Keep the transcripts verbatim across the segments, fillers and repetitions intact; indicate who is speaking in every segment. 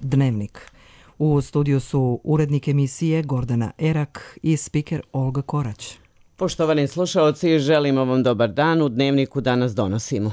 Speaker 1: Dnevnik. U studiju su urednik emisije Gordana Erak i spiker Olga Korać.
Speaker 2: Poštovani slušaoci, želimo vam dobar dan. U Dnevniku danas donosimo.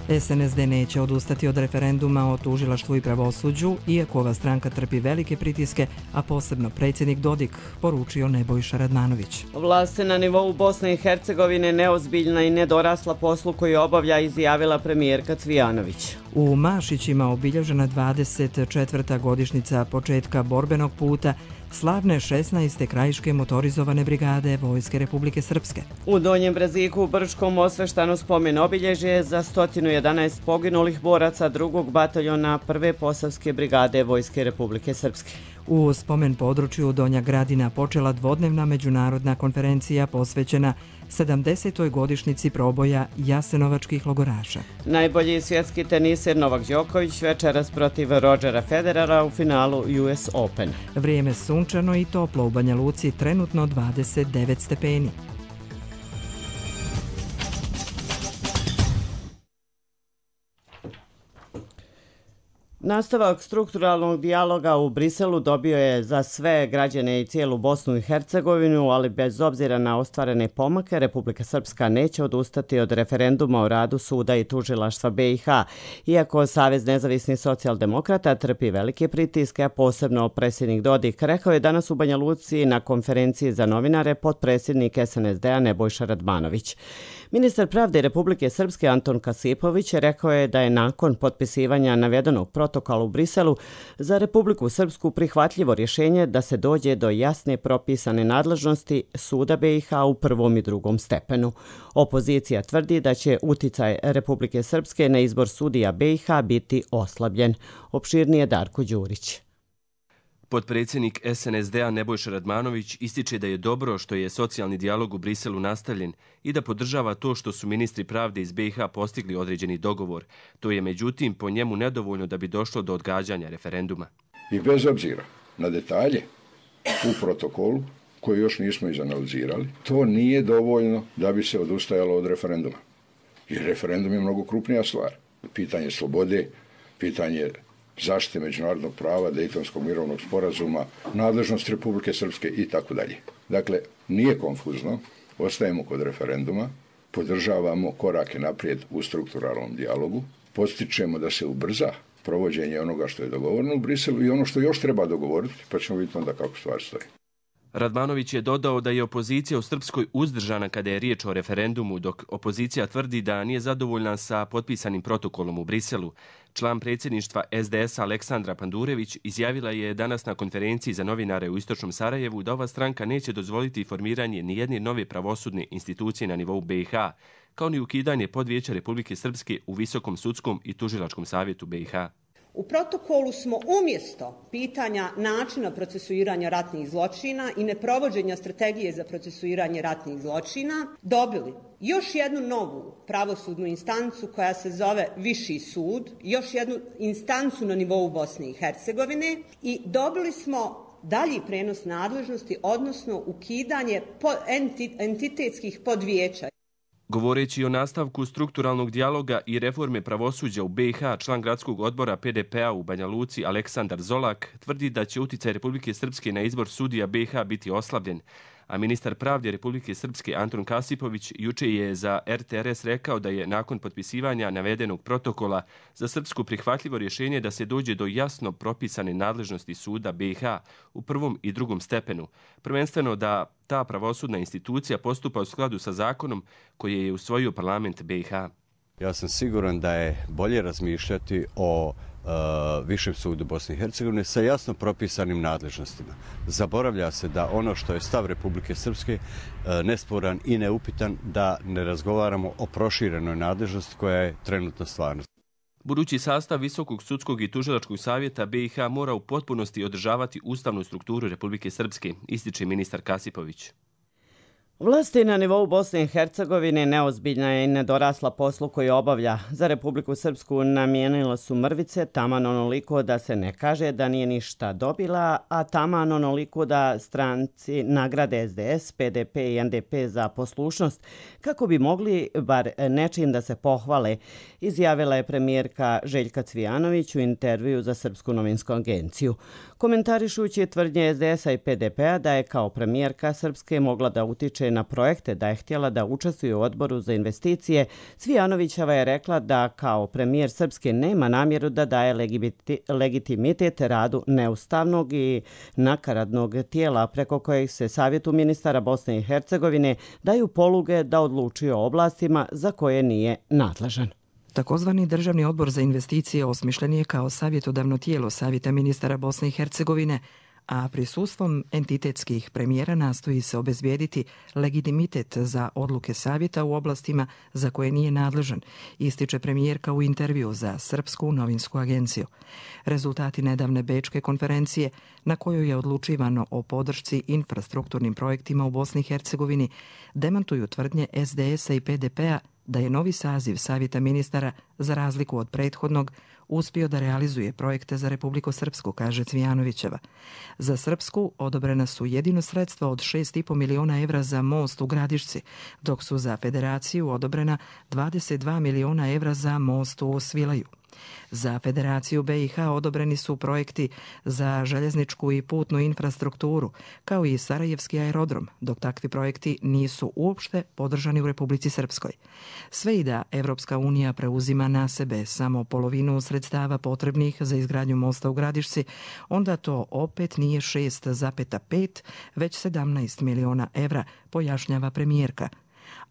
Speaker 1: S N S D neće odustati od referenduma o tužilaštvu i pravosuđu, iako ova stranka trpi velike pritiske, a posebno predsjednik Dodik, poručio Nebojša Radmanović.
Speaker 2: Vlast se na nivou Bosne i Hercegovine neozbiljna i nedorasla poslu koji obavlja, izjavila premijerka Cvijanović.
Speaker 1: U Mašićima obilježena dvadeset četvrta godišnjica početka borbenog puta slavne šesnaeste krajiške motorizovane brigade Vojske Republike Srpske.
Speaker 2: U Donjem Breziku u Brčkom osveštano spomen obilježje za sto jedanaest poginulih boraca drugog bataljona prve posavske brigade Vojske Republike Srpske.
Speaker 1: U spomen području Donja Gradina počela dvodnevna međunarodna konferencija posvećena sedamdesetoj godišnjici proboja jasenovačkih logoraša.
Speaker 2: Najbolji svjetski teniser Novak Đoković večeras protiv Rodgera Federera u finalu U S Open.
Speaker 1: Vrijeme sunčano i toplo, u Banja Luci trenutno dvadeset devet stepeni.
Speaker 2: Nastavak strukturalnog dijaloga u Briselu dobio je za sve građane i cijelu Bosnu i Hercegovinu, ali bez obzira na ostvarene pomake, Republika Srpska neće odustati od referenduma o radu suda i tužilaštva B i H. Iako Savez nezavisnih socijaldemokrata trpi velike pritiske, a posebno predsjednik Dodik, rekao je danas u Banja Luci na konferenciji za novinare potpredsjednik S N S D-a Nebojša Radmanović. Ministar pravde Republike Srpske Anton Kasipović rekao je da je nakon potpisivanja navedenog protokola u Briselu za Republiku Srpsku prihvatljivo rješenje da se dođe do jasne propisane nadležnosti suda B i H u prvom i drugom stepenu. Opozicija tvrdi da će uticaj Republike Srpske na izbor sudija B i H biti oslabljen. Opširnije Darko Đurić.
Speaker 3: Potpredsjednik S N S D-a Nebojša Radmanović ističe da je dobro što je socijalni dijalog u Briselu nastavljen i da podržava to što su ministri pravde iz B i H postigli određeni dogovor. To je međutim po njemu nedovoljno da bi došlo do odgađanja referenduma.
Speaker 4: I bez obzira na detalje u protokolu koji još nismo izanalizirali, to nije dovoljno da bi se odustajalo od referenduma. Jer referendum je mnogo krupnija stvar. Pitanje slobode, pitanje zaštite međunarodnog prava, Dejtonskog mirovnog sporazuma, nadležnost Republike Srpske i tako dalje. Dakle, nije konfuzno, ostajemo kod referenduma, podržavamo korake naprijed u strukturalnom dijalogu, postičemo da se ubrza provođenje onoga što je dogovoreno u Briselu i ono što još treba dogovoriti, pa ćemo vidjeti onda kako stvar stoji.
Speaker 3: Radmanović je dodao da je opozicija u Srpskoj uzdržana kada je riječ o referendumu, dok opozicija tvrdi da nije zadovoljna sa potpisanim protokolom u Briselu. Član predsjedništva S D S-a Aleksandra Pandurević izjavila je danas na konferenciji za novinare u Istočnom Sarajevu da ova stranka neće dozvoliti formiranje nijedne nove pravosudne institucije na nivou B i H, kao ni ukidanje podvijeća Republike Srpske u Visokom sudskom i tužilačkom savjetu B i H.
Speaker 5: U protokolu smo umjesto pitanja načina procesuiranja ratnih zločina i neprovođenja strategije za procesuiranje ratnih zločina dobili još jednu novu pravosudnu instancu koja se zove Viši sud, još jednu instancu na nivou Bosne i Hercegovine i dobili smo dalji prenos nadležnosti, odnosno ukidanje entitetskih podvijeća.
Speaker 3: Govoreći o nastavku strukturalnog dijaloga i reforme pravosuđa u B i H, član gradskog odbora P D P-a u Banja Luci Aleksandar Zolak tvrdi da će uticaj Republike Srpske na izbor sudija B i H biti oslabljen, a ministar pravde Republike Srpske Anton Kasipović juče je za R T R S rekao da je nakon potpisivanja navedenog protokola za Srpsku prihvatljivo rješenje da se dođe do jasno propisane nadležnosti suda B i H u prvom i drugom stepenu, prvenstveno da ta pravosudna institucija postupa u skladu sa zakonom koji je usvojio parlament B i H.
Speaker 6: Ja sam siguran da je bolje razmišljati o Uh, Višem sudu Bosne i Hercegovine sa jasno propisanim nadležnostima. Zaboravlja se da ono što je stav Republike Srpske uh, nesporan i neupitan, da ne razgovaramo o proširenoj nadležnosti koja je trenutno stvarnost.
Speaker 3: Budući sastav Visokog sudskog i tužilačkog savjeta B i H mora u potpunosti održavati ustavnu strukturu Republike Srpske, ističe ministar Kasipović.
Speaker 2: Vlasti na nivou Bosne i Hercegovine neozbiljna je i nedorasla poslu koji obavlja. Za Republiku Srpsku namijenila su mrvice taman onoliko da se ne kaže da nije ništa dobila, a taman onoliko da stranci nagrade S D S, P D P i N D P za poslušnost, kako bi mogli bar nečim da se pohvale, izjavila je premijerka Željka Cvijanović u intervju za Srpsku novinsku agenciju. Komentarišući tvrdnje S D S-a i P D P-a da je kao premijerka Srpske mogla da utiče na projekte, da je htjela da učestvuje u odboru za investicije, Cvijanovićeva je rekla da kao premijer Srpske nema namjeru da daje legitimitet radu neustavnog i nakaradnog tijela preko kojeg se Savjetu ministara Bosne i Hercegovine daju poluge da odlučuje o oblastima za koje nije nadležan.
Speaker 1: Takozvani Državni odbor za investicije osmišljen je kao savjetodavno tijelo Savjeta ministara Bosne i Hercegovine, a prisustvom entitetskih premijera nastoji se obezbijediti legitimitet za odluke savjeta u oblastima za koje nije nadležan, ističe premijerka u intervju za Srpsku novinsku agenciju. Rezultati nedavne bečke konferencije na kojoj je odlučivano o podršci infrastrukturnim projektima u Bosni i Hercegovini demantuju tvrdnje S D S-a i P D P-a da je novi saziv Savjeta ministara, za razliku od prethodnog, uspio da realizuje projekte za Republiku Srpsku, kaže Cvijanovićeva. Za Srpsku odobrena su jedino sredstva od šest i po miliona evra za most u Gradišci, dok su za Federaciju odobrena dvadeset dva miliona evra za most u Svilaju. Za Federaciju B i H odobreni su projekti za željezničku i putnu infrastrukturu, kao i Sarajevski aerodrom, dok takvi projekti nisu uopšte podržani u Republici Srpskoj. Sve i da Evropska unija preuzima na sebe samo polovinu sredstava potrebnih za izgradnju mosta u Gradišci, onda to opet nije šest zarez pet, već sedamnaest miliona evra, pojašnjava premijerka.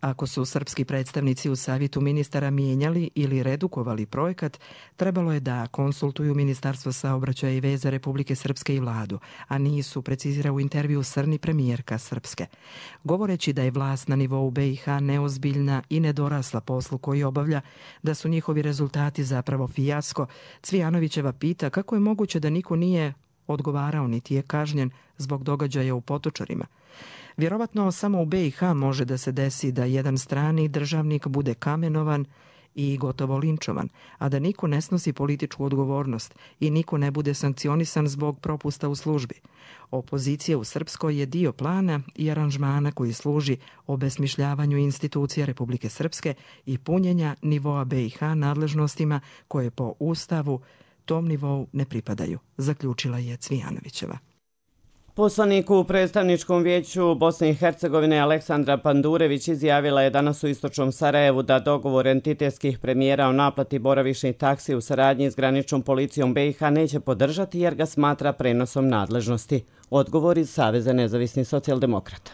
Speaker 1: Ako su srpski predstavnici u Savjetu ministara mijenjali ili redukovali projekat, trebalo je da konsultuju Ministarstvo saobraćaja i veza Republike Srpske i vladu, a nisu, precizira u intervju Srni premijerka Srpske. Govoreći da je vlast na nivou B i H neozbiljna i nedorasla poslu koji obavlja, da su njihovi rezultati zapravo fijasko, Cvijanovićeva pita kako je moguće da niko nije odgovarao niti je kažnjen zbog događaja u Potočarima. Vjerovatno samo u B i H može da se desi da jedan strani državnik bude kamenovan i gotovo linčovan, a da niko ne snosi političku odgovornost i niko ne bude sankcionisan zbog propusta u službi. Opozicija u Srpskoj je dio plana i aranžmana koji služi obesmišljavanju institucija Republike Srpske i punjenja nivoa B i H nadležnostima koje po Ustavu tom nivou ne pripadaju, zaključila je Cvijanovićeva.
Speaker 2: Poslanik u predstavničkom vijeću Bosne i Hercegovine Aleksandra Pandurević izjavila je danas u istočnom Sarajevu da dogovor entitetskih premijera o naplati boravišnih taksi u saradnji s graničnom policijom B i H neće podržati jer ga smatra prenosom nadležnosti. Odgovor iz Saveza nezavisnih socijaldemokrata.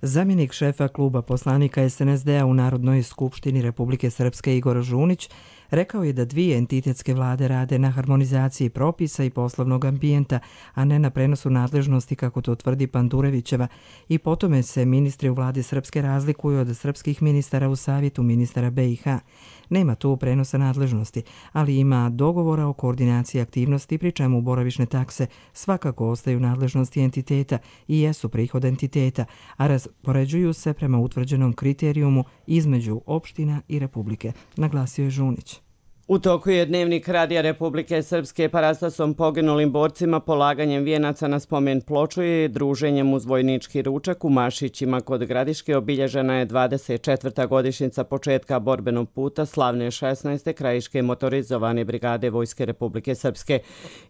Speaker 1: Zamjenik šefa kluba poslanika S N S D-a u Narodnoj skupštini Republike Srpske Igor Žunić rekao je da dvije entitetske vlade rade na harmonizaciji propisa i poslovnog ambijenta, a ne na prenosu nadležnosti, kako to tvrdi Pandurevićeva, i po tome se ministri u vladi Srpske razlikuju od srpskih ministara u Savjetu ministara B i H. Nema tu prenosa nadležnosti, ali ima dogovora o koordinaciji aktivnosti, pri čemu boravišne takse svakako ostaju nadležnosti entiteta i jesu prihod entiteta, a raspoređuju se prema utvrđenom kriterijumu između opština i Republike, naglasio je Žunić.
Speaker 2: U toku je Dnevnik Radija Republike Srpske parastasom poginulim borcima, polaganjem vijenaca na spomen ploču i druženjem uz vojnički ručak u Mašićima kod Gradiške obilježena je dvadeset četvrta godišnjica početka borbenog puta slavne šesnaeste krajiške motorizovane brigade Vojske Republike Srpske.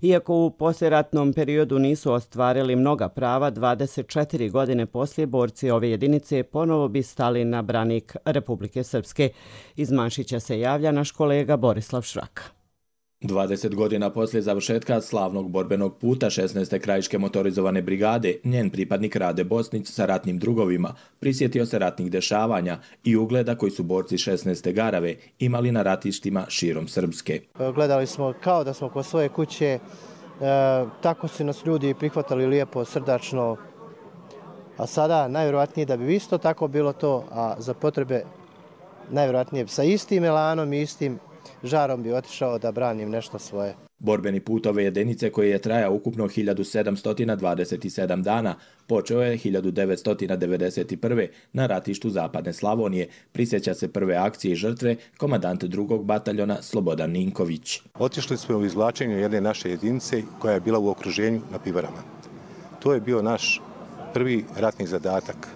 Speaker 2: Iako u poslijeratnom periodu nisu ostvarili mnoga prava, dvadeset četiri godine poslije borci ove jedinice ponovo bi stali na branik Republike Srpske. Iz Mašića se javlja naš kolega Boris Slavšraka.
Speaker 7: dvadeset godina poslije završetka slavnog borbenog puta šesnaeste krajiške motorizovane brigade, njen pripadnik Rade Bosnić sa ratnim drugovima prisjetio se ratnih dešavanja i ugleda koji su borci šesnaeste Garave imali na ratištima širom Srpske.
Speaker 8: Gledali smo kao da smo kod svoje kuće, e, tako su nas ljudi prihvatali lijepo, srdačno, a sada najvjerojatnije da bi isto tako bilo to, a za potrebe najvjerojatnije sa istim elanom i istim žarom bi otišao da branim nešto svoje.
Speaker 7: Borbeni put ove jedinice koji je trajao ukupno hiljadu sedamsto dvadeset sedam dana počeo je hiljadu devetsto devedeset prve. na ratištu Zapadne Slavonije. Prisjeća se prve akcije i žrtve komandant drugog bataljona Slobodan Ninković.
Speaker 9: Otišli smo u izvlačenju jedne naše jedinice koja je bila u okruženju na Pivarama. To je bio naš prvi ratni zadatak.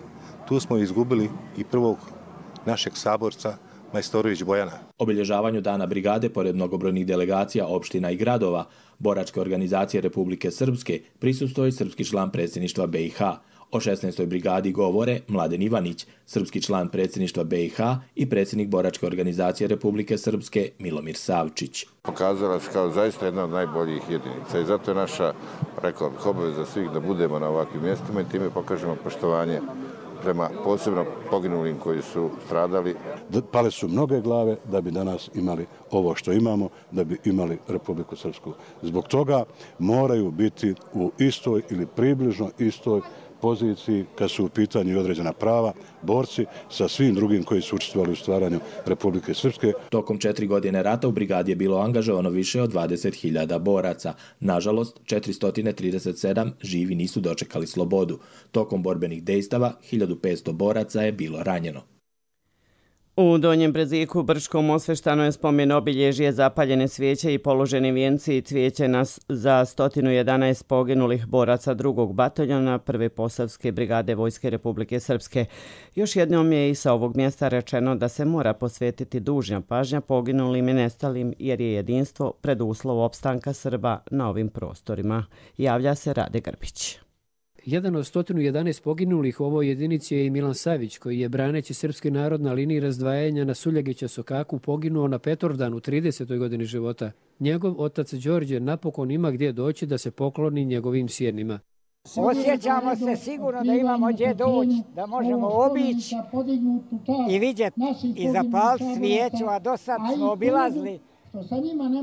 Speaker 9: Tu smo izgubili i prvog našeg saborca Majstorović Bojana.
Speaker 7: Obilježavanju dana brigade, pored mnogobrojnih delegacija, opština i gradova, boračke organizacije Republike Srpske, prisustvuje srpski član predsjedništva B i H. O šesnaestoj brigadi govore Mladen Ivanić, srpski član predsjedništva B i H i predsjednik boračke organizacije Republike Srpske Milomir Savčić.
Speaker 10: Pokazala se kao zaista jedna od najboljih jedinica i zato je naša, rekao bih, obaveza svih da budemo na ovakvim mjestima i time pokažemo poštovanje prema posebno poginulim koji su stradali.
Speaker 11: Pale su mnoge glave da bi danas imali ovo što imamo, da bi imali Republiku Srpsku. Zbog toga moraju biti u istoj ili približno istoj poziciji kad su u pitanju određena prava, borci sa svim drugim koji su učestvovali u stvaranju Republike Srpske.
Speaker 7: Tokom četiri godine rata u brigadi je bilo angažovano više od dvadeset hiljada boraca. Nažalost, četiristo trideset sedam živi nisu dočekali slobodu. Tokom borbenih dejstava hiljadu petsto boraca je bilo ranjeno.
Speaker 2: U Donjem Breziku u Brčkom osveštano je spomen obilježje, zapaljene svijeće i položeni vijenci i cvijeće nas za sto jedanaest poginulih boraca drugog bataljona prve Posavske brigade Vojske Republike Srpske. Još jednom je i sa ovog mjesta rečeno da se mora posvetiti dužna pažnja poginulim i nestalim jer je jedinstvo preduslov opstanka Srba na ovim prostorima. Javlja se Rade Grbić.
Speaker 12: Jedan od sto jedanaest poginulih u ovoj jedinici je i Milan Savić, koji je braneći srpski narod na liniji razdvajanja na Suljagića Sokaku poginuo na Petrovdan u tridesetoj godini života. Njegov otac Đorđe napokon ima gdje doći da se pokloni njegovim sjenima.
Speaker 13: Osjećamo se sigurno da imamo gdje doći, da možemo obići i vidjeti i zapaliti svijeću, a do sad smo obilazili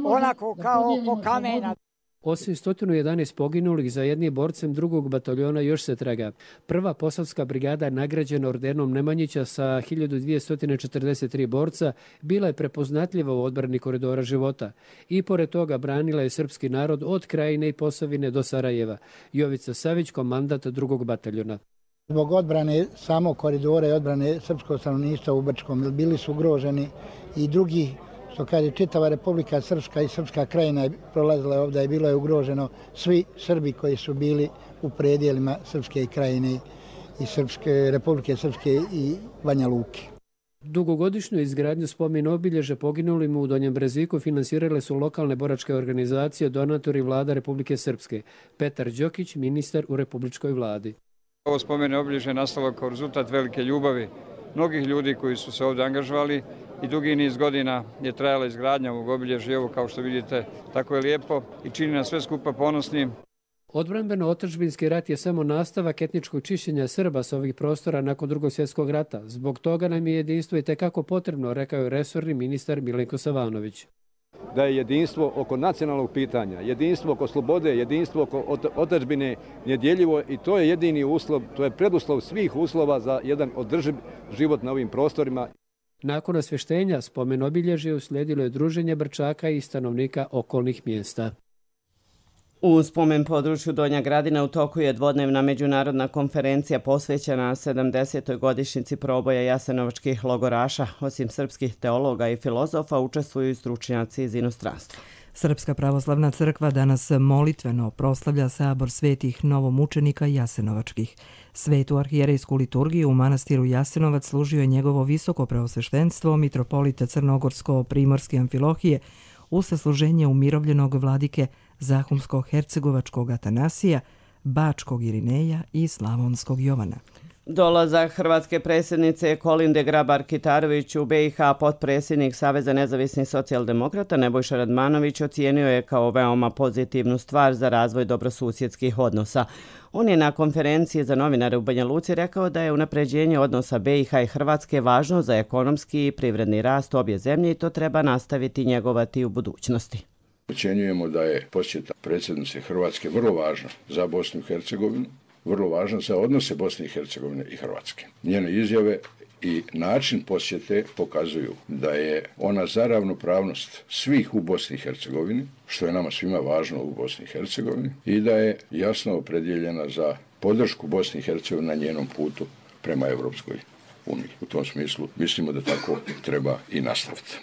Speaker 13: onako kao oko kamena.
Speaker 12: Osim sto jedanaest poginulih, za jednim borcem drugog bataljona još se traga. Prva Posavska brigada je nagrađena ordenom Nemanjića sa hiljadu dvjesto četrdeset tri borca, bila je prepoznatljiva u odbrani koridora života. I pored toga branila je srpski narod od Krajine i Posavine do Sarajeva. Jovica Savić, komandant drugog bataljona.
Speaker 14: Zbog odbrane samog koridora i odbrane srpskog stanovništva u Brčkom bili su ugroženi i drugi, što kaže, čitava Republika Srpska i Srpska Krajina je prolazila ovdje i bilo je ugroženo svi Srbi koji su bili u predijelima Srpske Krajine i Srpske, Republike Srpske i Banja Luke.
Speaker 12: Dugogodišnju izgradnju spomen obilježja poginulim u Donjem Breziku finansirale su lokalne boračke organizacije, donatori vlada Republike Srpske. Petar Đokić, ministar u republičkoj vladi.
Speaker 15: Ovo spomen obilježje nastalo kao rezultat velike ljubavi mnogih ljudi koji su se ovdje angažovali i dugi niz godina je trajala izgradnja ovog obilježja. Evo, kao što vidite, tako je lijepo i čini nas sve skupa ponosnim.
Speaker 12: Odbrambeno-otadžbinski rat je samo nastavak etničkog čišćenja Srba s ovih prostora nakon Drugog svjetskog rata. Zbog toga nam je jedinstvo i tekako potrebno, rekao je resorni ministar Milenko Savanović.
Speaker 16: Da je jedinstvo oko nacionalnog pitanja, jedinstvo oko slobode, jedinstvo oko otadžbine nedjeljivo i to je jedini uslov, to je preduslov svih uslova za jedan održiv život na ovim prostorima.
Speaker 12: Nakon osvještenja spomen obilježje uslijedilo je druženje Brčaka i stanovnika okolnih mjesta.
Speaker 2: U spomen području Donja Gradina u toku je dvodnevna međunarodna konferencija posvećena sedamdesetoj godišnjici proboja jasenovačkih logoraša. Osim srpskih teologa i filozofa učestvuju i stručnjaci iz inostranstva.
Speaker 1: Srpska pravoslavna crkva danas molitveno proslavlja sabor svetih novomučenika jasenovačkih. Svetu arhijerejsku liturgiju u manastiru Jasenovac služio je njegovo visoko preosveštenstvo mitropolita Crnogorsko-Primorske Amfilohije u sasluženje umirovljenog vladike Zahumsko-Hercegovačkog Atanasija, Bačkog Irineja i Slavonskog Jovana.
Speaker 2: Dolazak hrvatske predsjednice Kolinde Grabar-Kitarović u B i H potpredsjednik Saveza nezavisnih socijaldemokrata Nebojša Radmanović ocijenio je kao veoma pozitivnu stvar za razvoj dobrosusjedskih odnosa. On je na konferenciji za novinare u Banja Luci rekao da je unapređenje odnosa B i H i Hrvatske važno za ekonomski i privredni rast obje zemlje i to treba nastaviti njegovati u budućnosti.
Speaker 4: Ocjenjujemo da je posjeta predsjednice Hrvatske vrlo važna za Bosnu i Hercegovinu, vrlo važna za odnose Bosne i Hercegovine i Hrvatske. Njene izjave i način posjete pokazuju da je ona za ravnopravnost svih u Bosni i Hercegovini, što je nama svima važno u Bosni i Hercegovini, i da je jasno opredjeljena za podršku Bosni i Hercegovini na njenom putu prema Europskoj uniji. U tom smislu mislimo da tako treba i nastaviti.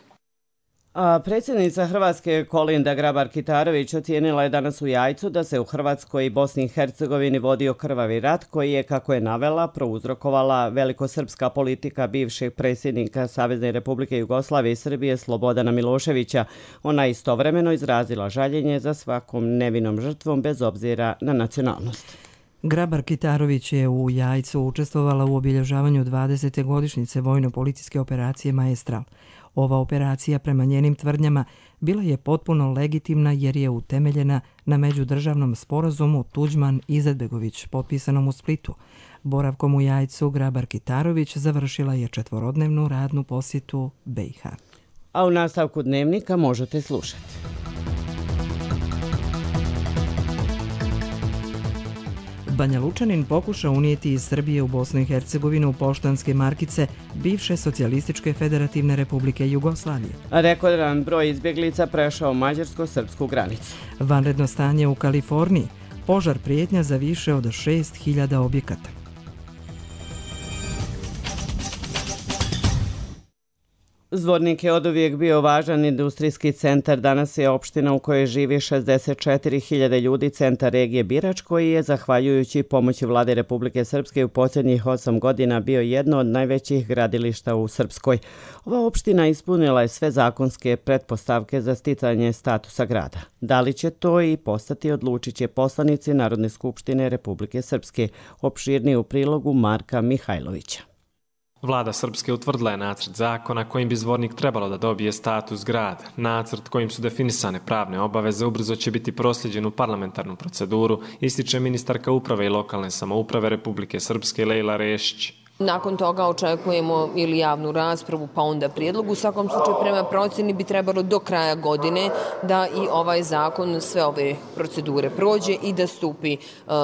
Speaker 2: A predsjednica Hrvatske Kolinda Grabar-Kitarović ocijenila je danas u Jajcu da se u Hrvatskoj i Bosni i Hercegovini vodio krvavi rat koji je, kako je navela, prouzrokovala velikosrpska politika bivšeg predsjednika Savezne Republike Jugoslavije i Srbije Slobodana Miloševića. Ona je istovremeno izrazila žaljenje za svakom nevinom žrtvom bez obzira na nacionalnost.
Speaker 1: Grabar-Kitarović je u Jajcu učestvovala u obilježavanju dvadesete godišnjice vojno-policijske operacije Maestral. Ova operacija, prema njenim tvrdnjama, bila je potpuno legitimna jer je utemeljena na međudržavnom sporazumu Tuđman-Izetbegović, potpisanom u Splitu. Boravkom u Jajcu Grabar-Kitarović završila je četvorodnevnu radnu posjetu B i H.
Speaker 2: A u nastavku dnevnika možete slušati.
Speaker 1: Banja Lučanin pokušao unijeti iz Srbije u Bosnu i Hercegovinu poštanske markice bivše Socijalističke federativne republike Jugoslavije.
Speaker 2: Rekordan broj izbjeglica prešao mađarsko-srpsku granicu.
Speaker 1: Vanredno stanje u Kaliforniji. Požar prijetnja za više od šest hiljada objekata.
Speaker 2: Zvornik je oduvijek bio važan industrijski centar. Danas je opština u kojoj živi šezdeset četiri hiljade ljudi, centar regije Birač, koji je, zahvaljujući pomoći vlade Republike Srpske, u posljednjih osam godina bio jedno od najvećih gradilišta u Srpskoj. Ova opština ispunila je sve zakonske pretpostavke za sticanje statusa grada. Da li će to i postati, odlučit će poslanici Narodne skupštine Republike Srpske. Opširniji u prilogu Marka Mihajlovića.
Speaker 17: Vlada Srpske utvrdila je nacrt zakona kojim bi Zvornik trebalo da dobije status grada. Nacrt kojim su definisane pravne obaveze ubrzo će biti prosljeđen u parlamentarnu proceduru, ističe ministarka uprave i lokalne samouprave Republike Srpske Lejla Rešić.
Speaker 18: Nakon toga očekujemo ili javnu raspravu, pa onda prijedlog. U svakom slučaju, prema procjeni bi trebalo do kraja godine da i ovaj zakon sve ove procedure prođe i da stupi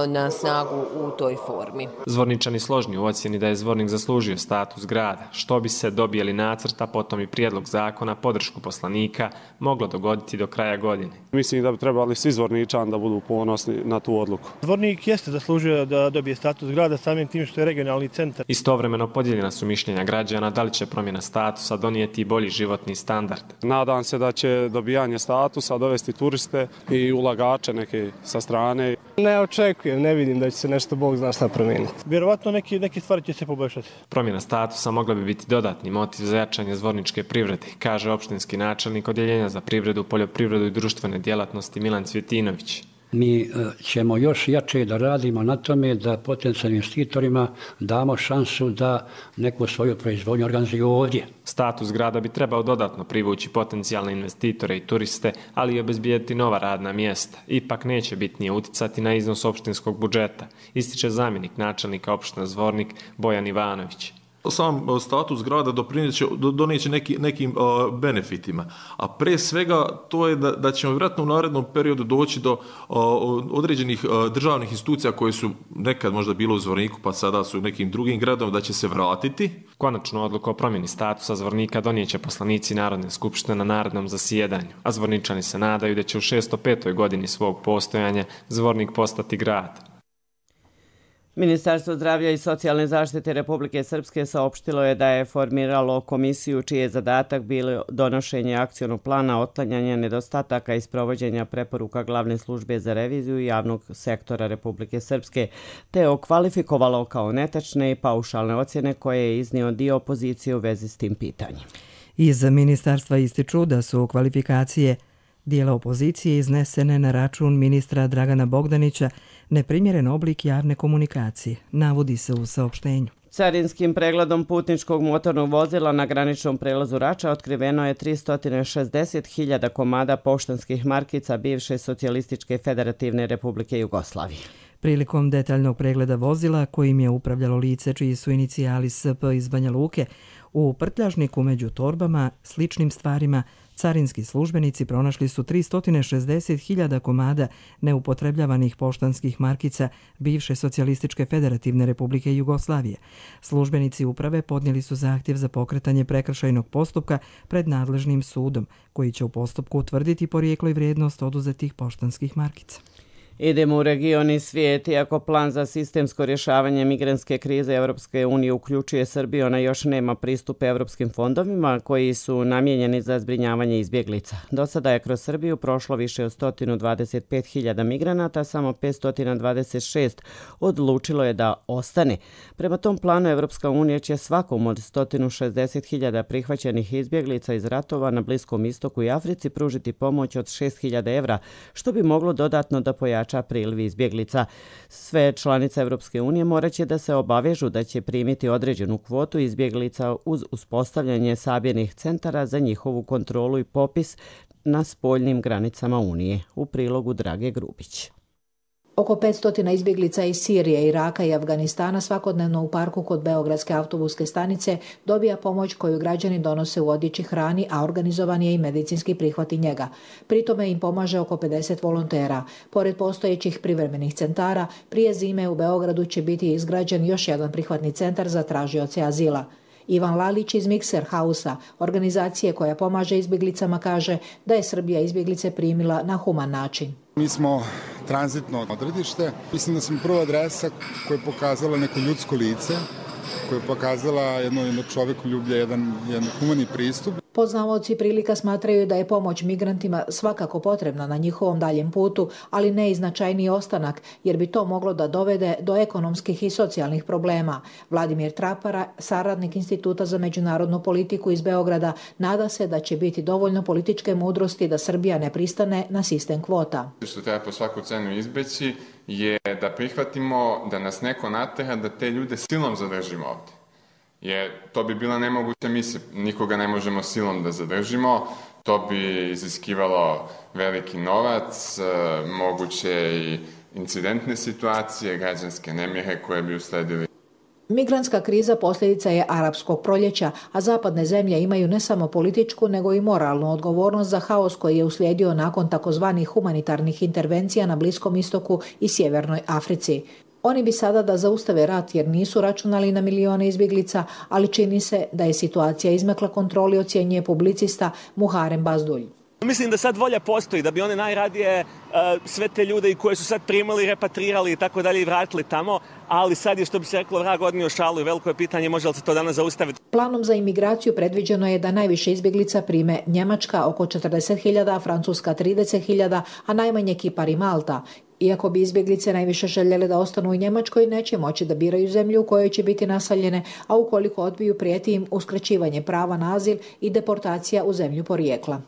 Speaker 18: na snagu u toj formi.
Speaker 17: Zvorničani složni u ocjeni da je Zvornik zaslužio status grada, što bi se dobijeli nacrt, a potom i prijedlog zakona, podršku poslanika, moglo dogoditi do kraja godine.
Speaker 19: Mislim da bi trebali svi Zvorničani da budu ponosni na tu odluku.
Speaker 20: Zvornik jeste zaslužio da dobije status grada samim tim što je regionalni centar.
Speaker 17: Istovremeno podijeljena su mišljenja građana da li će promjena statusa donijeti bolji životni standard.
Speaker 19: Nadam se da će dobijanje statusa dovesti turiste i ulagače neke sa strane.
Speaker 20: Ne očekujem, ne vidim da će se nešto Bog zna šta promijeniti. Vjerovatno neki, neki stvari će se poboljšati.
Speaker 17: Promjena statusa mogla bi biti dodatni motiv za jačanje zvorničke privrede, kaže opštinski načelnik Odjeljenja za privredu, poljoprivredu i društvene djelatnosti Milan Cvjetinović.
Speaker 21: Mi ćemo još jače da radimo na tome da potencijalnim investitorima damo šansu da neku svoju proizvodnju organizuju ovdje.
Speaker 17: Status grada bi trebao dodatno privući potencijalne investitore i turiste, ali i obezbijediti nova radna mjesta. Ipak neće bitnije uticati na iznos opštinskog budžeta, ističe zamjenik načelnika opštine Zvornik Bojan Ivanović.
Speaker 22: Sam status grada donijeće neki, nekim uh, benefitima, a pre svega to je da, da ćemo vjerojatno u narednom periodu doći do uh, određenih uh, državnih institucija koje su nekad možda bilo u Zvorniku pa sada su u nekim drugim gradom, da će se vratiti.
Speaker 17: Konačnu odluku o promjeni statusa Zvornika donijeće poslanici Narodne skupštine na narednom zasjedanju, a Zvorničani se nadaju da će u šesto petoj godini svog postojanja Zvornik postati grad.
Speaker 2: Ministarstvo zdravlja i socijalne zaštite Republike Srpske saopštilo je da je formiralo komisiju čiji je zadatak bilo donošenje akcionog plana otklanjanja nedostataka i sprovođenja preporuka glavne službe za reviziju javnog sektora Republike Srpske, te okvalifikovalo kao netačne i paušalne ocjene koje je iznio dio opozicije u vezi s tim pitanjem.
Speaker 1: Iz ministarstva ističu da su kvalifikacije dijela opozicije iznesene na račun ministra Dragana Bogdanića neprimjeren oblik javne komunikacije, navodi se u saopštenju.
Speaker 2: Carinskim pregledom putničkog motornog vozila na graničnom prelazu Rača otkriveno je tristo šezdeset hiljada komada poštanskih markica bivše Socijalističke federativne Republike Jugoslavije.
Speaker 1: Prilikom detaljnog pregleda vozila kojim je upravljalo lice čiji su inicijali S P iz Banja Luke, u prtljažniku među torbama, sličnim stvarima, carinski službenici pronašli su tristo šezdeset hiljada komada neupotrebljavanih poštanskih markica bivše Socijalističke federativne republike Jugoslavije. Službenici uprave podnijeli su zahtjev za pokretanje prekršajnog postupka pred nadležnim sudom, koji će u postupku utvrditi porijeklo i vrijednost oduzetih poštanskih markica.
Speaker 2: Idemo u region i svijet. Iako plan za sistemsko rješavanje migrantske krize Europske unije uključuje Srbiju, ona još nema pristup europskim fondovima koji su namijenjeni za zbrinjavanje izbjeglica. Do sada je kroz Srbiju prošlo više od sto dvadeset pet hiljada migranata, samo petsto dvadeset šest odlučilo je da ostane. Prema tom planu Europska unija će svakom od sto šezdeset hiljada prihvaćenih izbjeglica iz ratova na Bliskom istoku i Africi pružiti pomoć od šest hiljada evra, što bi moglo dodatno da pojača priliv izbjeglica. Sve članice Europske unije morat će da se obavežu da će primiti određenu kvotu izbjeglica uz uspostavljanje sabirnih centara za njihovu kontrolu i popis na spoljnim granicama Unije. U prilogu Drage Grubić.
Speaker 5: Oko petsto izbjeglica iz Sirije, Iraka i Afganistana svakodnevno u parku kod Beogradske autobuske stanice dobija pomoć koju građani donose u odjeći, hrani, a organizovan je i medicinski prihvat i njega. Pritome im pomaže oko pedeset volontera. Pored postojećih privremenih centara, prije zime u Beogradu će biti izgrađen još jedan prihvatni centar za tražioce azila. Ivan Lalić iz Mikser Hausa, organizacije koja pomaže izbjeglicama, kaže da je Srbija izbjeglice primila na human način.
Speaker 6: Mi smo tranzitno odredište. Mislim da smo prva adresa koja je pokazala neko ljudsko lice, koja je pokazala jedno, jedno čovekoljublje, jedan, jedan humani pristup.
Speaker 5: Poznavaoci prilika smatraju da je pomoć migrantima svakako potrebna na njihovom daljem putu, ali ne i značajniji ostanak, jer bi to moglo da dovede do ekonomskih i socijalnih problema. Vladimir Trapara, saradnik Instituta za međunarodnu politiku iz Beograda, nada se da će biti dovoljno političke mudrosti da Srbija ne pristane na sistem kvota.
Speaker 23: Što treba po svaku cenu izbeći je da prihvatimo da nas neko natera da te ljude silom zadržimo ovdje. Jer to bi bila nemoguća misija, nikoga ne možemo silom da zadržimo, to bi iziskivalo veliki novac, moguće i incidentne situacije, građanske nemire koje bi usledili.
Speaker 5: Migrantska kriza posljedica je arapskog proljeća, a zapadne zemlje imaju ne samo političku nego i moralnu odgovornost za haos koji je uslijedio nakon takozvanih humanitarnih intervencija na Bliskom istoku i Sjevernoj Africi. Oni bi sada da zaustave rat jer nisu računali na milione izbjeglica, ali čini se da je situacija izmakla kontroli, ocjenjuje publicista Muharem Bazdulj.
Speaker 24: Mislim da sad volja postoji, da bi one najradije uh, sve te ljude i koje su sad primali, repatrirali i tako dalje i vratili tamo, ali sad je, što bi se reklo, vrag odnio šalu i veliko je pitanje može li se to danas zaustaviti.
Speaker 5: Planom za imigraciju predviđeno je da najviše izbjeglica prime Njemačka oko četrdeset hiljada, Francuska trideset hiljada, a najmanje Kipar i Malta. Iako bi izbjeglice najviše željele da ostanu u Njemačkoj, neće moći da biraju zemlju u kojoj će biti naseljene, a ukoliko odbiju prijeti im uskraćivanje prava na azil i deportacija u zemlju porijekla.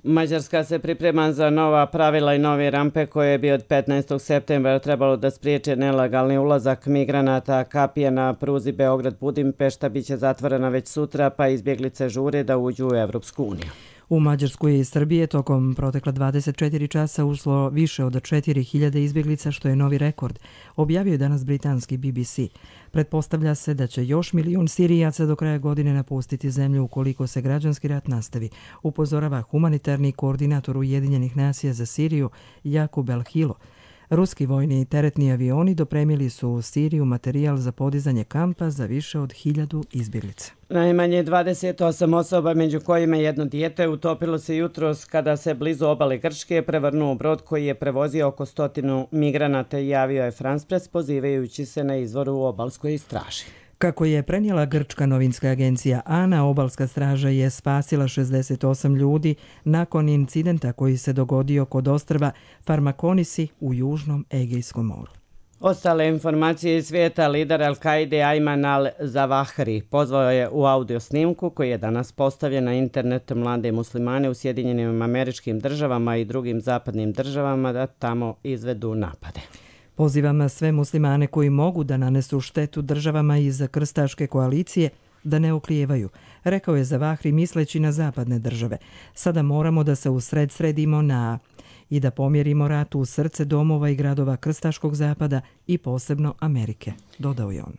Speaker 2: Mađarska se priprema za nova pravila i nove rampe koje bi od petnaestog septembra trebalo da spriječe nelegalni ulazak migranata. Kapija na pruzi Beograd-Budimpešta biće zatvorena već sutra, pa izbjeglice žure da uđu u Evropsku uniju.
Speaker 1: U Mađarsku i Srbije tokom protekla dvadeset četiri časa ušlo više od četiri hiljade izbjeglica, što je novi rekord, objavio je danas britanski B B C. Pretpostavlja se da će još milijun Sirijaca do kraja godine napustiti zemlju ukoliko se građanski rat nastavi, upozorava humanitarni koordinator Ujedinjenih nacija za Siriju Jakub El Hilo. Ruski vojni i teretni avioni dopremili su u Siriju materijal za podizanje kampa za više od hiljadu izbjeglica.
Speaker 2: Najmanje dvadeset osam osoba, među kojima jedno dijete, utopilo se jutros kada se blizu obale Grčke prevrnuo brod koji je prevozio oko stotinu migranata, javio je France Press pozivajući se na izvor u obalskoj straži.
Speaker 1: Kako je prenijela grčka novinska agencija ANA, obalska straža je spasila šezdeset osam ljudi nakon incidenta koji se dogodio kod ostrva Farmakonisi u južnom Egejskom moru.
Speaker 2: Ostale informacije iz svijeta, lider Al-Kaide Ayman al-Zawahri pozvao je u audio snimku koji je danas postavljen na internet mlade muslimane u Sjedinjenim Američkim Državama i drugim zapadnim državama da tamo izvedu napade.
Speaker 1: Pozivam sve muslimane koji mogu da nanesu štetu državama iz krstaške koalicije da ne oklijevaju, rekao je Zawahri misleći na zapadne države. Sada moramo da se usred sredimo na i da pomjerimo rat u srce domova i gradova krstaškog zapada i posebno Amerike, dodao je on.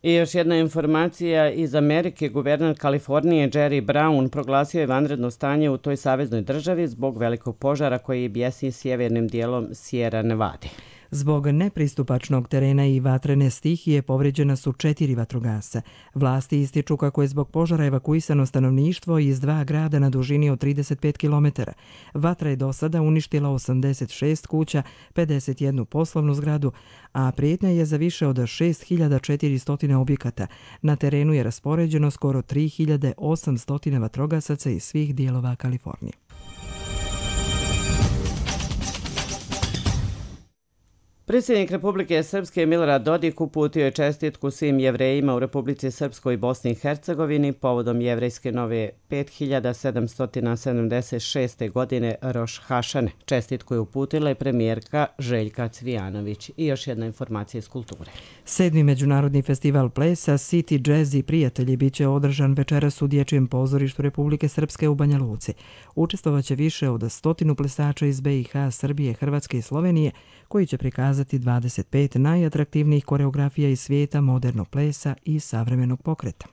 Speaker 2: I još jedna informacija iz Amerike. Guverner Kalifornije Jerry Brown proglasio je vanredno stanje u toj saveznoj državi zbog velikog požara koji bjesni sjevernim dijelom Sierra Nevade.
Speaker 1: Zbog nepristupačnog terena i vatrene stihije povređena su četiri vatrogasca. Vlasti ističu kako je zbog požara evakuisano stanovništvo iz dva grada na dužini od trideset pet kilometara. Vatra je do sada uništila osamdeset šest kuća, pedeset jednu poslovnu zgradu, a prijetnja je za više od šest hiljada četiristo objekata. Na terenu je raspoređeno skoro tri hiljade osamsto vatrogasaca iz svih dijelova Kalifornije.
Speaker 2: Predsjednik Republike Srpske Milorad Dodik uputio je čestitku svim Jevrejima u Republici Srpskoj i Bosni i Hercegovini povodom jevrejske nove pet hiljada sedamsto sedamdeset šeste. godine Roš Hašane. Čestitku je uputila i premijerka Željka Cvijanović. I još jedna informacija iz kulture.
Speaker 1: Sedmi međunarodni festival plesa City Jazz i prijatelji bit će održan večeras u Dječjem pozorištu Republike Srpske u Banja Luci. Učestvovaće više od stotinu plesača iz B i H, Srbije, Hrvatske i Slovenije, koji će prikazati dvadeset pet najatraktivnijih koreografija iz svijeta modernog plesa i savremenog pokreta.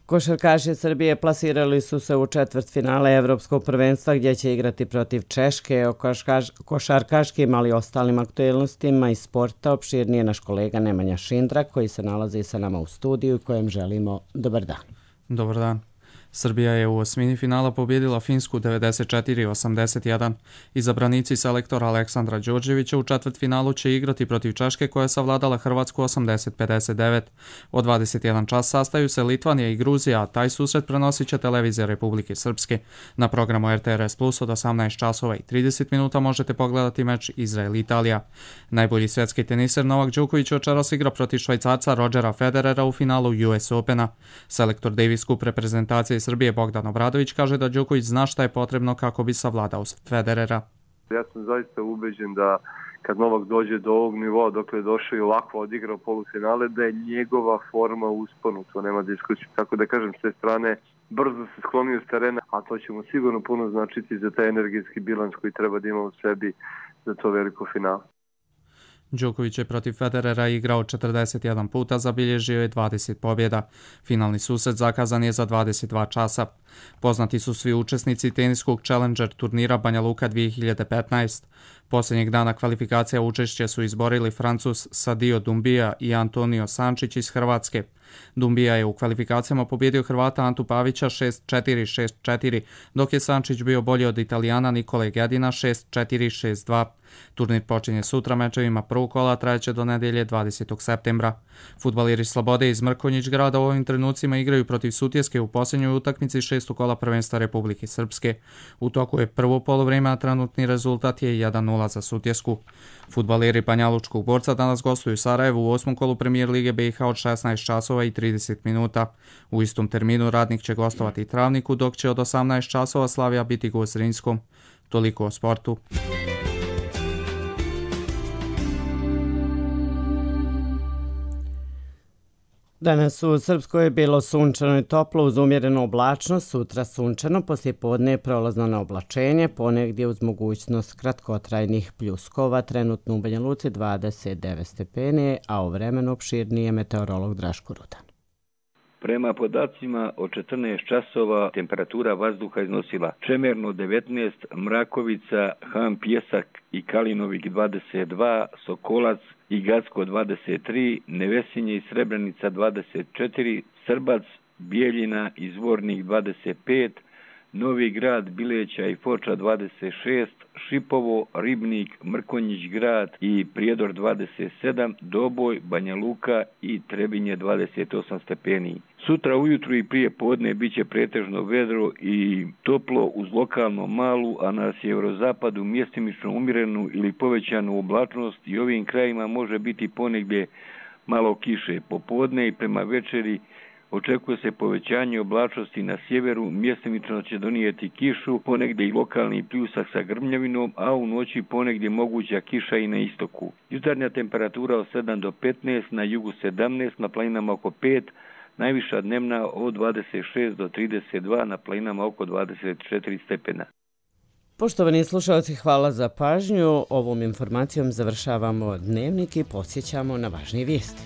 Speaker 2: Košarkaši Srbije plasirali su se u četvrtfinale Evropskog prvenstva gdje će igrati protiv Češke. O košarkaš, košarkaškim, ali i ostalim aktuelnostima iz sporta opširnije naš kolega Nemanja Šindra, koji se nalazi sa nama u studiju i kojem želimo dobar dan.
Speaker 3: Dobar dan. Srbija je u osmini finala pobjedila Finsku devedeset četiri osamdeset jedan. Izabranici selektora Aleksandra Đorđevića u četvrtfinalu će igrati protiv Češke koja je savladala Hrvatsku osamdeset pedeset devet. Od dvadeset jedan čas sastaju se Litvanija i Gruzija, a taj susret prenosit će televizija Republike Srpske. Na programu R T R S Plus od osamnaest časova i trideset minuta možete pogledati meč Izrael-Italija. Najbolji svjetski teniser Novak Đoković večeras igra protiv Švajcarca Rodgera Federera u finalu U S Opena. Selektor Davis Cup reprezentacije Srbije Bogdan Obradović kaže da Đoković zna šta je potrebno kako bi savladao Federera.
Speaker 8: Ja sam zaista ubeđen da kad Novak dođe do ovog nivoa dok je došao i ovako odigrao polufinale, da je njegova forma usponu, to nema diskusije. Tako da kažem, s te strane brzo se sklonio s terena, a to će mu sigurno puno značiti za taj energetski bilans koji treba da ima u sebi za to veliko finale.
Speaker 3: Đoković je protiv Federera igrao četrdeset jedan puta, zabilježio je dvadeset pobjeda. Finalni susret zakazan je za dvadeset dva časa. Poznati su svi učesnici teniskog Challenger turnira Banja Luka dvije hiljade petnaest. Posljednjeg dana kvalifikacija učešće su izborili Francuz Sadio Dumbia i Antonio Sančić iz Hrvatske. Dumbia je u kvalifikacijama pobjedio Hrvata Antu Pavića šest četiri šest četiri, dok je Sančić bio bolji od Italijana Nikole Gedina šest četiri šest dva. Turnir počinje sutra mečevima prvog kola, trajeće do nedjelje dvadesetog septembra. Fudbaleri Slobode iz Mrkonjić grada u ovim trenucima igraju protiv Sutjeske u posljednjoj utakmici šestog kola prvenstva Republike Srpske. U toku je prvo polovrijeme, a trenutni rezultat je jedan nula za Sutjesku. Fudbaleri Banjalučkog Borca danas gostuju Sarajevu u osmom kolu Premijer Lige B i H od šesnaest časova i trideset minuta. U istom terminu Radnik će gostovati Travniku, dok će od osamnaest časova Slavija biti gost Zrinskom. Toliko o sportu.
Speaker 2: Danas u Srpskoj je bilo sunčano i toplo uz umjerenu oblačnost, sutra sunčano, poslijepodne je prolazno na oblačenje, ponegdje uz mogućnost kratkotrajnih pljuskova, trenutno u Banja Luci dvadeset devet stepeni, a o vremenu opširnije meteorolog Draško Rudan.
Speaker 9: Prema podacima od četrnaest časova temperatura vazduha iznosila Čemerno devetnaest, Mrakovica, Han Pjesak i Kalinovik dvadeset dva, Sokolac i Gacko dvadeset tri, Nevesinje i Srebrenica dvadeset četiri, Srbac, Bijeljina i Zvornik dvadeset pet, Novi Grad, Bileća i Foča dvadeset šest, Šipovo, Ribnik, Mrkonjić grad i Prijedor dvadeset sedam, Doboj, Banja Luka i Trebinje dvadeset osam stepeni. Sutra ujutru i prije podne bit će pretežno vedro i toplo uz lokalno malu, a na sjeverozapadu mjestimično umjerenu ili povećanu oblačnost i ovim krajima može biti ponegdje malo kiše. Popodne i prema večeri očekuje se povećanje oblačnosti na sjeveru, mjestimično će donijeti kišu, ponegdje i lokalni pljusak sa grmljavinom, a u noći ponegdje moguća kiša i na istoku. Jutarnja temperatura od sedam do petnaest, na jugu sedamnaest, na planinama oko pet, najviša dnevna od dvadeset šest do trideset dva, na planinama oko dvadeset četiri stepena.
Speaker 2: Poštovani slušalci, hvala za pažnju. Ovom informacijom završavamo dnevnik i podsjećamo na važnije vijesti.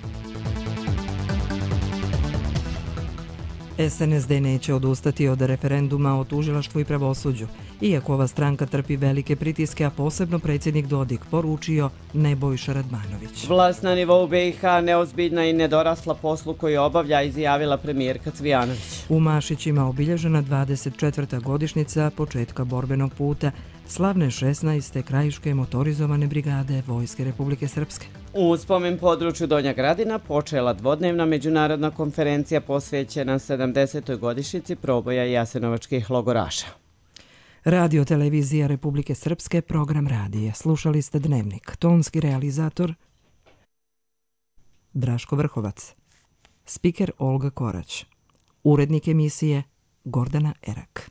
Speaker 1: S N S D neće odustati od referenduma o tužilaštvu i pravosuđu, iako ova stranka trpi velike pritiske, a posebno predsjednik Dodik poručio Nebojša Radmanović.
Speaker 2: Vlast na nivou B i H neozbiljna i nedorasla poslu koji obavlja, izjavila premijerka Cvijanović.
Speaker 1: U Mašićima obilježena dvadeset četvrta godišnjica početka borbenog puta slavne šesnaeste krajiške motorizovane brigade Vojske Republike Srpske.
Speaker 2: U spomen području Donja Gradina počela dvodnevna međunarodna konferencija posvećena sedamdesetoj godišnjici proboja jasenovačkih logoraša.
Speaker 1: Radio televizija Republike Srpske, program radija. Slušali ste Dnevnik. Tonski realizator Draško Vrhovac. Spiker Olga Korać. Urednik emisije Gordana Erak.